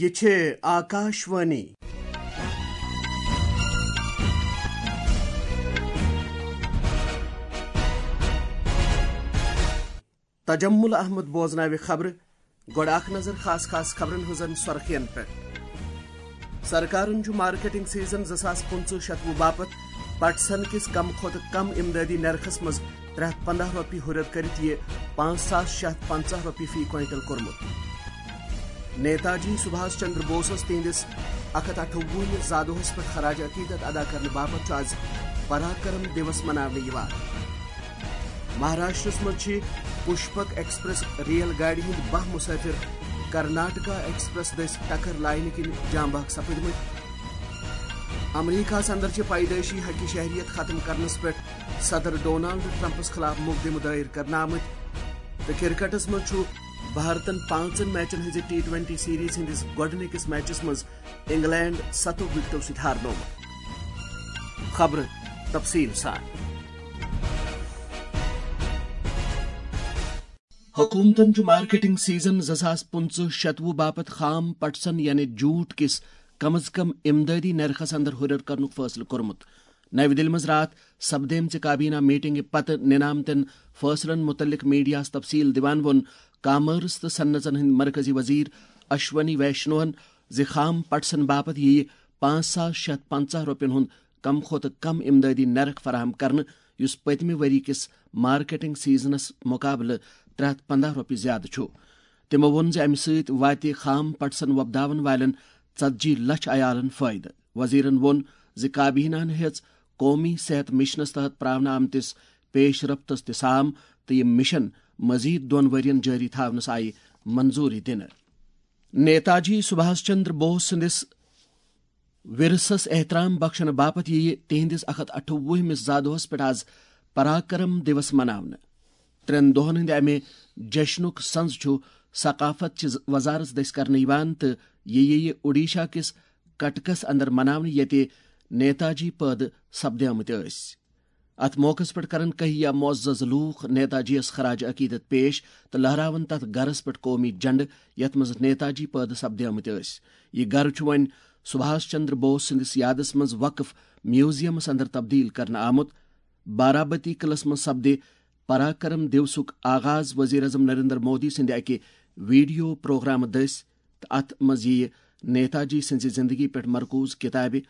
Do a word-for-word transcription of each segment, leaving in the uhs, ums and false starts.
یہ چھے آکاشوانی۔ تجمل احمد بوزناوِ خبرٕ۔ گۄڈٕ اکھ نظر خاص خاص خبرن ہٕنٛزن سۄرخین پٮ۪ٹھ۔ سرکارن چھُ مارکیٹنگ سیزن زٕ ساس پٕنٛژٕہ شتوُہ باپتھ پٹسن کِس کم کھۄتہٕ کم امدادی نرخس منٛز ترٛےٚ ہتھ پنٛداہ رۄپیہِ ہُرٮ۪ر کٔرِتھ یہِ پانٛژھ ساس شےٚ ہتھ پنٛژاہ رۄپیہِ فی کوینٹل کوٚرمُت۔ نیتاجی سبھاش چندر بوسس تِہنٛدِس اکھ ہتھ اَٹھووُہمِس زادوہس پٮ۪ٹھ خراج عقیدت ادا کرنہٕ باپتھ چھُ از پراکرم دیوس مناونہٕ یِوان۔ مہاراشٹرس منٛز چھِ پُشپک ایکسپریس ریل گاڑِ ہٕنٛدۍ باہ مسافر کرناٹکا ایکسپریس دٔسۍ ٹکر لاینہٕ کِنۍ جام بحق سپٕدمٕتۍ۔ امریکہس اندر چھِ پیدائشی حق شہریت ختم کرنس پٮ۪ٹھ صدر ڈونالڈ ٹرمپس خلاف مقدمہٕ دائر کرنہٕ آمٕتۍ۔ تہٕ کرکٹس منٛز چھُ بھارتن پانٛژن میچن ہٕنٛزِ ٹی ٹوینٹی سیریز ہٕنٛدِس گۄڈٕنِکِس میچس منٛز انگلینڈ ستو وکٹو سۭتۍ ہارنوومُت۔ خبرٕ تفصیل سان۔ حکومتن چھُ مارکیٹنگ سیزن زٕ ساس پٕنٛژٕہ شتوُہ باپتھ خام پٹسن یعنی جوٹ کِس کم از کم امدادی نرخس اندر ہُرٮ۪ر کرنُک فٲصلہٕ کوٚرمُت۔ نَوِ دِلہِ منٛز راتھ سپدیمژِ کابینہ میٹنگہِ پتہٕ نِنہٕ آمتٮ۪ن فٲصلن مُتعلق میڈیاہَس تفصیل دِوان ووٚن کامٲرٕس تہٕ صنعژن ہٕنٛدۍ مرکزی وزیر اشونی ویشنوہن زِ خام پٹسن باپتھ یِیہِ پانٛژھ ساس شےٚ ہتھ پنٛژاہ رۄپین ہُنٛد کم کھۄتہٕ کم امدادی نرخ فراہم کرنہٕ، یُس پٔتمہِ ؤری کِس مارکیٹنگ سیزنس مُقابلہٕ ترٛےٚ ہتھ پنٛداہ رۄپیہِ زیادٕ چھُ۔ تِمو ووٚن زِ امہِ سۭتۍ واتہِ خام پٹسن وۄپداون والٮ۪ن ژتجی لچھ عیالن فٲیدٕ۔ وزیرن ووٚن زِ کابینہن ہیٚژ قومی صحت مشنس تحت پراونہٕ آمتِس پیش رفتس تہِ سام تہٕ یہِ مشن مزید دۄن ؤرین جٲری تھاونس آیہِ منظوری دِنہٕ۔ نیتاجی سبھاش چندر بوس سٕنٛدِس ورثس احترام بخشنہٕ باپتھ یِیہِ تِہنٛدِس اکھ ہتھ اَٹھووُہمِس زادوہس پٮ۪ٹھ از پراکرم دیوس مناونہٕ۔ ترٛٮ۪ن دۄہن ہٕنٛدِ امہِ جشنُک سنز چھُ ثقافت چہِ وزارت دٔسۍ کرنہٕ یِوان تہٕ یہِ یِیہِ اوڈیشہ کِس کٹکس اندر مناونہٕ، ییٚتہِ نیتاجی پٲدٕ سپدیمٕتۍ ٲسۍ۔ اتھ موقعس پٮ۪ٹھ کرن کہیا معزز لوٗکھ نیتاجی یس خراج عقیدت پیش تہٕ لہراون تتھ گرس پٮ۪ٹھ قومی جھنڈٕ، یتھ منٛز نیتاجی پٲدٕ سپدیمٕتۍ ٲسۍ۔ یہِ گرٕ چھُ وۄنۍ سبھاش چندر بوس سٕنٛدِس یادس منٛز وقف میوزیمس اندر تبدیل کرنہٕ آمُت۔ بارابتی قلعس منٛز سپدِ پراکرم دیوسُک آغاز وزیر اعظم نریندر مودی سٕنٛدِ اکہِ ویڈیو پروگرامہٕ دٔسۍ تہٕ اتھ منٛز یِیہِ نیتاجی سٕنٛزِ زندگی پٮ۪ٹھ مرکوز کتابہِ،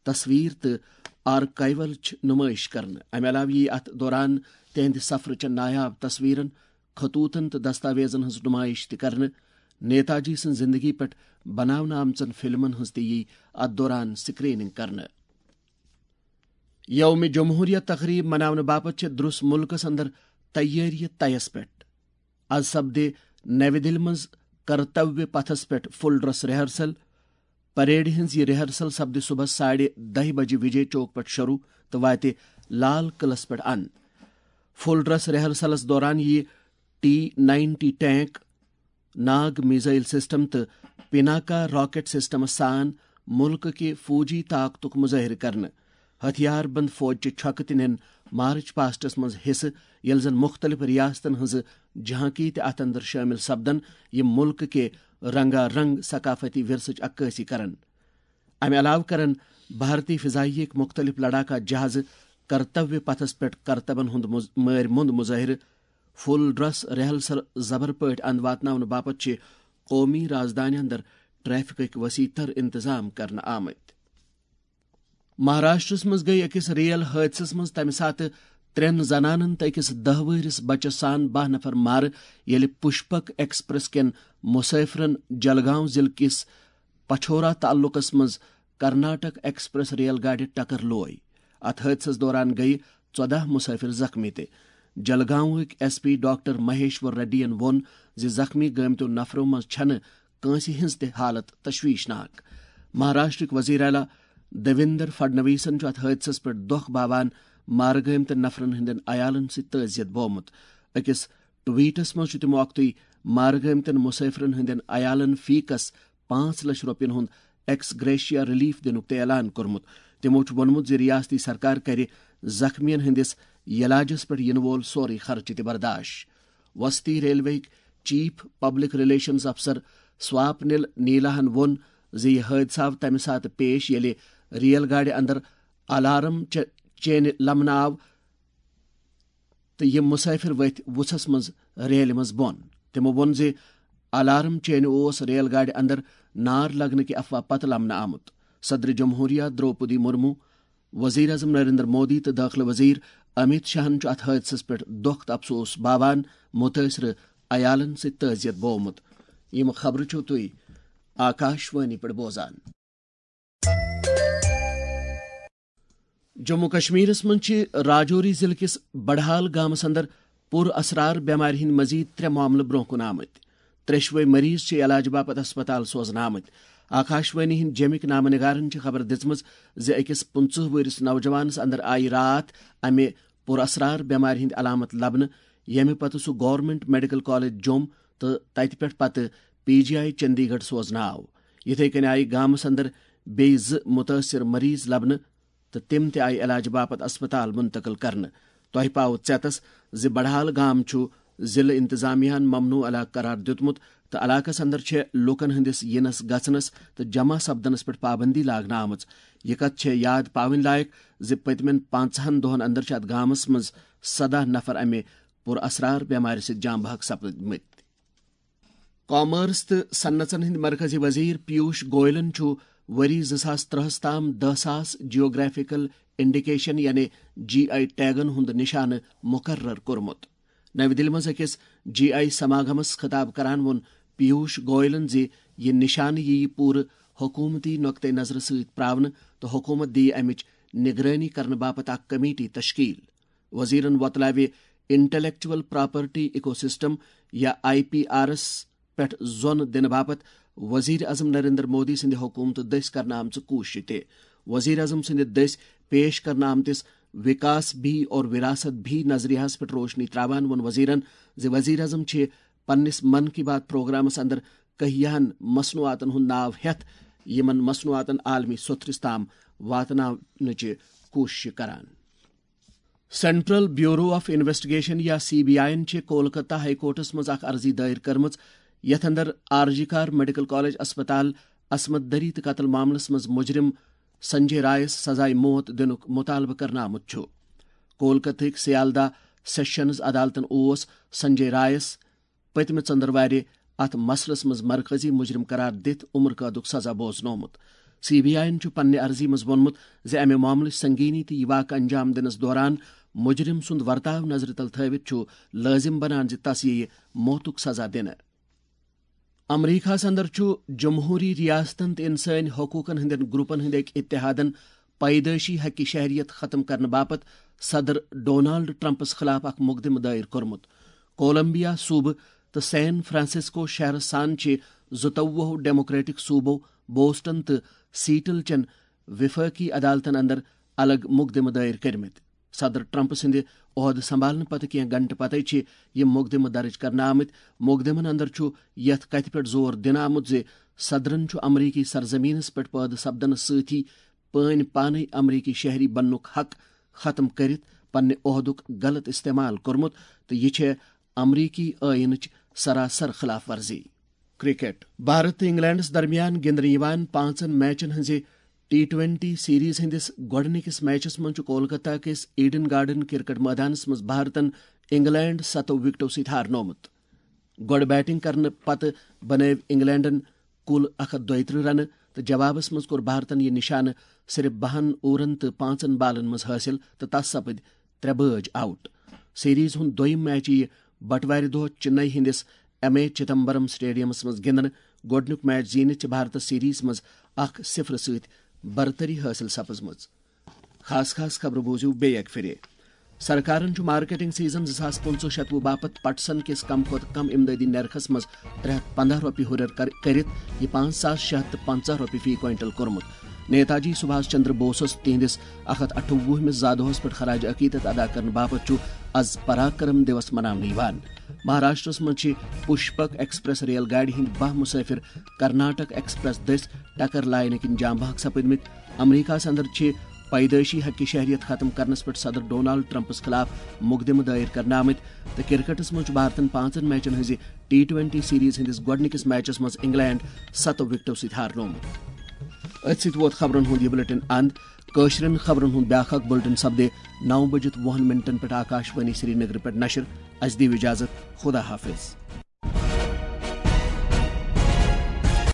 تصویر تہٕ آرکائیولچ نمائش کرنہٕ۔ امہِ علاوٕ یِیہِ اتھ دوران تِہنٛدِ سفرٕچن نایاب تصویرن، خطوطن تہٕ دستاویزن ہٕنٛز نمائش تہِ کرنہٕ۔ نیتاجی سٕنٛز زندگی پٮ۪ٹھ بناونہٕ آمژن فلمن ہٕنٛز تہِ یِیہِ اتھ دوران سکریننگ کرنہٕ۔ یوم جمہوریہ تقریب مناونہٕ باپتھ چھِ درس ملکس اندر تیٲری طیس پٮ۪ٹھ۔ از سپدِ نَوِ دِلہِ منٛز کرتویہ پتھس پٮ۪ٹھ فل ڈریس ریہرسل۔ پریڈ ہٕنٛز یہِ ریہرسل سپدِ صبحس ساڑِ دَہہِ بجہِ وجے چوک پٮ۪ٹھ شروع تہٕ واتہِ لال قلعس پٮ۪ٹھ اند۔ فل ڈریس ریہرسلس دوران یِیہِ ٹی نائنٹی ٹینک، ناگ میزائل سسٹم تہٕ پیناکا راکٹ سسٹمس سان ملکہٕ کہِ فوجی طاقتُک مظٲہرٕ کرنہٕ۔ ہتھیار بند فوج چہِ چھۄکہٕ تہِ نِن مارچ پاسٹس منٛز حصہٕ، ییٚلہِ زن مُختٔلِف ریاستن ہٕنٛزٕ جھانکی تہِ اتھ اندر شٲمِل سپدن، یِم ملکہٕ کہِ رنگا رنگ ثقافتی ورثٕچ عکٲسی کرن۔ امہِ علاوٕ کرن بھارتی فضائیہ ہٕکۍ مُختٔلِف لڑاکا جہازٕ کرتویہ پتھس پٮ۪ٹھ کرتبن ہُنٛد مُز-، مٲرۍ مۄنٛد مظٲہرٕ۔ فل ڈریس ریہرسل زبر پٲٹھۍ اند واتناونہٕ باپتھ چھِ قومی رازدانہِ اندر ٹریفکٕکۍ وسیع تر انتظام کرنہٕ آمٕتۍ۔ مہاراشٹرس منٛز گٔیہِ أکِس ریل حٲدثس منٛز تمہِ ساتہٕ ترٛٮ۪ن زنانن تہٕ أکِس دَہ وٕہرِس بچس سان باہ نفر مارٕ، ییٚلہِ پُشپک ایکسپریس کٮ۪ن مسافرن جلگاؤں ضلعہٕ کِس پچھورا تعلقس منٛز کرناٹک ایکسپریس ریل گاڑِ ٹکر لوے۔ اتھ حٲدثس دوران گٔیہِ ژۄداہ مسافر زخمی تہِ۔ جلگاؤں ہٕکۍ S P doctor Maheshwar ready ین ووٚن زِ زخمی گٲمتیو نفرو منٛز چھنہٕ کٲنٛسہِ ہٕنٛز تہِ حالت تشویشناک۔ مہاراشٹرٕکۍ وزیر اعلیٰ دیویندر فڈنویسن چھُ اتھ حٲدثس پٮ۪ٹھ دۄکھ باوان مارٕ گٲمتٮ۪ن نفرن ہٕنٛدٮ۪ن عیالن سۭتۍ تعزیت بومُت۔ أکِس ٹویٹس منٛز چھُ تِمو اکھتُے مارٕ گٲمتٮ۪ن مسافرن ہٕنٛدٮ۪ن عیالن فی کس پانٛژھ لچھ رۄپین ہُنٛد ایکس گریشیا ریلیف دِنُک تہِ اعلان کوٚرمُت۔ تِمو چھُ ووٚنمُت زِ ریاستی سرکار کرِ زخمیَن ہٕنٛدِس یلاجَس پٮ۪ٹھ یِنہٕ وول سورُے خرچہٕ تہِ برداش۔ وسطی ریلوے ہٕکۍ چیف پبلک ریلیشنز افسر سواپنل نیلاہن ووٚن زِ یہِ حٲدثہٕ آو تَمہِ ساتہٕ پیش، ییٚلہِ ریل گاڑِ اندر الارم چ-، چینہِ لمنہٕ آو تہٕ یِم مسافر ؤتھۍ وُژھس منٛز ریلہِ منٛز بۄن۔ تِمو ووٚن زِ الارم چینہِ اوس ریل گاڑِ اندر نار لگنہٕ کہِ افواہ پتہٕ لمنہٕ آمُت۔ صدر جمہوریہ درٛوپدی مرمو، وزیر اعظم نریندر مودی تہٕ دٲخلہٕ وزیر امیت شاہن چھُ اتھ حٲدثس پٮ۪ٹھ دۄکھ تہٕ افسوس باوان، مُتٲثرٕ عیالن سۭتۍ تعزیت بوومُت۔ یِم خبرٕ چھِو تُہۍ آکاشوانی پٮ۪ٹھ بوزان۔ جموں کشمیرس منٛز چھِ راجوری ضلعہٕ کِس بڑہال گامس اندر پُر اسرار بٮ۪مارِ ہٕنٛدۍ مزید ترٛےٚ معاملہٕ برونٛہہ کُن آمٕتۍ۔ ترٛیشوے مریض چھِ علاج باپتھ ہسپتال سوزنہٕ آمٕتۍ۔ آکاشوانی ہٕنٛدۍ جیمٕکۍ نامہٕ نگارن چھِ خبر دِژمٕژ زِ أکِس پٕنٛژٕہ وُہرِس نوجوانس اندر آیہِ راتھ امہِ پُر اسرار بٮ۪مارِ ہٕنٛدۍ علامت لبنہٕ، ییٚمہِ پتہٕ سُہ گورنمنٹ میڈیکل کالج جوٚم تہٕ تتہِ پٮ۪ٹھ پتہٕ پی جی آئی چندی گڑھ سوزنہٕ آو۔ یِتھے کٔنۍ آیہِ گامس اندر بیٚیہِ زٕ مُتٲثر مریض لبنہٕ تہٕ تِم تہِ آیہِ علاج باپتھ اسپتال منتقل کرنہٕ۔ تۄہہِ پاوٕ ژیتس زِ بڑہال گام چھُ ضلعہٕ انتظامیہ ہن ممنوع علاقہٕ قرار دیُتمُت تہٕ علاقس اندر چھےٚ لوٗکن ہٕنٛدِس یِنس گژھنس تہٕ جمع سپدنس پٮ۪ٹھ پابندی لاگنہٕ آمٕژ۔ یہِ کتھ چھےٚ یاد پاوٕنۍ لایق زِ پٔتمٮ۪ن پانٛژہن دۄہن اندر چھِ اتھ گامس منٛز سداہ نفر امہِ پُر اسرار بٮ۪مارِ سۭتۍ جان بحق سپدمٕتۍ۔ کامرس تہٕ صنعژن ہٕنٛدۍ مرکزی وزیر پیوش گوئلن چھُ ؤری زٕ ساس ترٛہس تام دَہ ساس جیوگرافیکل انڈیکیشن یعنی جی آئی ٹیگن ہُنٛد نشانہٕ مقرر کوٚرمُت۔ نَوِ دِلہِ منٛز أکِس جی آئی سماگمس خطاب کران ووٚن پیوش گوئلن زِ یہِ نشانہٕ یِیہِ پوٗرٕ حکوٗمتی نقطہٕ نظرٕ سۭتۍ پراونہٕ تہٕ حکوٗمت دِیہِ امِچ نگرٲنی کرنہٕ باپتھ اکھ کمیٹی تشکیل۔ وزیرن وۄتلاوِ انٹلیکچوئل پراپرٹی ایکو سسٹم یا آئی پی آرس پٮ۪ٹھ زۄن دِنہٕ باپتھ وزیر اعظم نریندر مودی سٕنٛدِ حکوٗمتہٕ دٔسۍ کرنہٕ آمژٕ کوٗششہِ تہِ۔ وزیر اعظم سٕنٛدِ دٔسۍ پیش کرنہٕ آمتِس وکاس بھی اور وراثت بھی نظریہس پٮ۪ٹھ روشنی تراوان ووٚن وزیرن زِ وزیر اعظم چھِ پننِس من کی بات پروگرامس اندر کہیاہن مصنوعاتن ہُنٛد ناو ہٮ۪تھ یِمن مصنوعاتن عالمی سوٚتھرِس تام واتناونٕچہِ کوٗششہِ کران۔ سینٹرل بیورو آف انویسٹیگیشن یا سی بی آئی یَن چھِ کولکتہ ہائی کورٹس منٛز اکھ عرضی دائر کٔرمٕژ، یتھ اندر آر جی کار میڈیکل کالج اسپتال عصمت دری تہٕ قتل معاملس منٛز مجرم سنجے رائس سزائے موت دِنُک مطالبہٕ کرنہٕ آمُت چھُ۔ کولکتہٕکۍ سیالدہ سیشنز عدالتن اوس سنجے رائس پٔتمہِ ژٔنٛدٕروارِ اتھ مسلس منٛز مرکزی مجرم قرار دِتھ عمر قٲدُک سزا بوزنومُت۔ سی بی آئی یَن چھُ پننہِ عرضی منٛز ووٚنمُت زِ امہِ معاملٕچ سنگینی تہٕ یہِ واقعہٕ انجام دِنس دوران مجرم سُنٛد ورتاو نظرِ تل تھٲوِتھ چھُ لٲزم بنان زِ تس یِیہِ موتُک سزا دِنہٕ۔ امریکہس اندر چھُ جمہوری ریاستن تہٕ انسٲنی حقوقن ہٕنٛدٮ۪ن گروپن ہٕنٛدۍ أکۍ اتحادن پیدٲیشی حقہِ شہریت ختم کرنہٕ باپتھ صدر ڈونالڈ ٹرمپس خلاف اکھ مقدمہٕ دائر کوٚرمُت۔ کولمبیا صوبہٕ تہٕ سین فرانسسکو شہرس سان چھِ زٕتووُہ ڈیموکریٹک صوبو بوسٹن تہٕ سیٹل چٮ۪ن وفاقی عدالتن اندر الگ مقدمہٕ دائر کٔرمٕتۍ۔ صدر ٹرمپ سٕنٛدِ عہدٕ سنبھالنہٕ پتہٕ کینٛہہ گھنٹہٕ پتَے چھِ یِم مقدمہٕ درج کرنہٕ آمٕتۍ۔ مقدمن اندر چھُ یتھ کتھِ پٮ۪ٹھ زور دِنہٕ آمُت زِ صدرن چھُ امریکی سرزمینس پٮ۪ٹھ پٲدٕ سپدنس سۭتی پٲنۍ پانے امریکی شہری بننُک حق ختم کٔرِتھ پننہِ عہدُک غلط استعمال کوٚرمُت تہٕ یہِ چھےٚ امریکی ٲیٖنٕچ سراسر خلاف ورزی۔ کرکٹ۔ بھارت تہٕ انگلینڈس درمیان گِنٛدنہٕ یِوان پانٛژن میچن ہٕنٛزِ ٹی ٹوینٹی سیریز ہٕنٛدِس گۄڈٕنِکِس میچس منٛز چھُ کولکتہ کِس ایڈن گارڈن کرکٹ مٲدانس منٛز بھارتن انگلینڈ ستو وکٹو سۭتۍ ہارنومُت۔ گۄڈٕ بیٹنگ کرنہٕ پتہٕ بنٲوۍ انگلینڈن کُل اکھ ہتھ دۄیہِ ترٕٛہ رنہٕ تہٕ جوابس منٛز کوٚر بھارتن یہِ نشانہٕ صرف بَہَن اوورن تہٕ پانٛژن بالن منٛز حٲصِل تہٕ تس سپٕدۍ ترٛےٚ بٲج آؤٹ۔ سیریز ہُنٛد دوٚیِم میچ یِیہِ بٹوارِ دۄہ چنئی ہٕنٛدِس ایم اے چدمبرم سٹیڈیمس منٛز گِنٛدنہٕ۔ گۄڈٕنیُک میچ زیٖنِتھ چھِ بھارتس سیریز منٛز اکھ صفر سۭتۍ برتری حٲصِل سپٕزمٕژ۔ خاص خاص خبرٕ بوٗزِو بیٚیہِ اکہِ پھِرِ۔ سرکارن چھُ مارکیٹنگ سیزن زٕ ساس پٕنٛژٕہ شتوُہ باپتھ پٹسن کِس کم کھۄتہٕ کم امدادی نرخس منٛز ترٛےٚ ہتھ پنٛداہ رۄپیہِ ہُرٮ۪ر کر-، کٔرِتھ یہِ پانٛژھ ساس شےٚ ہتھ تہٕ پنٛژاہ رۄپیہِ فی کوینٹل کوٚرمُت۔ نیتاجی سبھاس چندر بوسس تِہنٛدِس اکھ ہتھ اَٹھووُہمِس زادوہس پٮ۪ٹھ خراج عقیدت ادا کرنہٕ باپتھ چھُ از پراکرم دیوس مناونہٕ یِوان۔ مہاراشٹرس منٛز چھِ پُشپک ایکسپریس ریل گاڑِ ہٕنٛدۍ باہ مسافر کرناٹک ایکسپریس دٔسۍ ٹکر لاینہٕ کِنۍ جام بحق سپٕدمٕتۍ۔ امریکہس اندر چھِ پیدٲیشی حق شہریت ختم کرنس پٮ۪ٹھ صدر ڈونالڈ ٹرمپس خلاف مقدمہٕ دٲیر کرنہٕ آمٕتۍ۔ تہٕ کرکٹس منٛز چھُ بھارتن پانٛژن میچن ہٕنٛزِ ٹی ٹوینٹی سیریز ہٕنٛدِس گۄڈٕنِکِس میچس منٛز انگلینڈ ستو وکٹو سۭتۍ ہارنومُت۔ أتھۍ سۭتۍ ووت خبرن ہُنٛد یہِ بلیٹن اند۔ کٲشرٮ۪ن خبرن ہُنٛد بیٛاکھ اکھ بلیٹن سپدِ نو بجِتھ وُہن منٹن پٮ۪ٹھ آکاش وانی سرینگرٕ پٮ۪ٹھ نشر۔ اسہِ دِیِو اجازت، خدا حافظ۔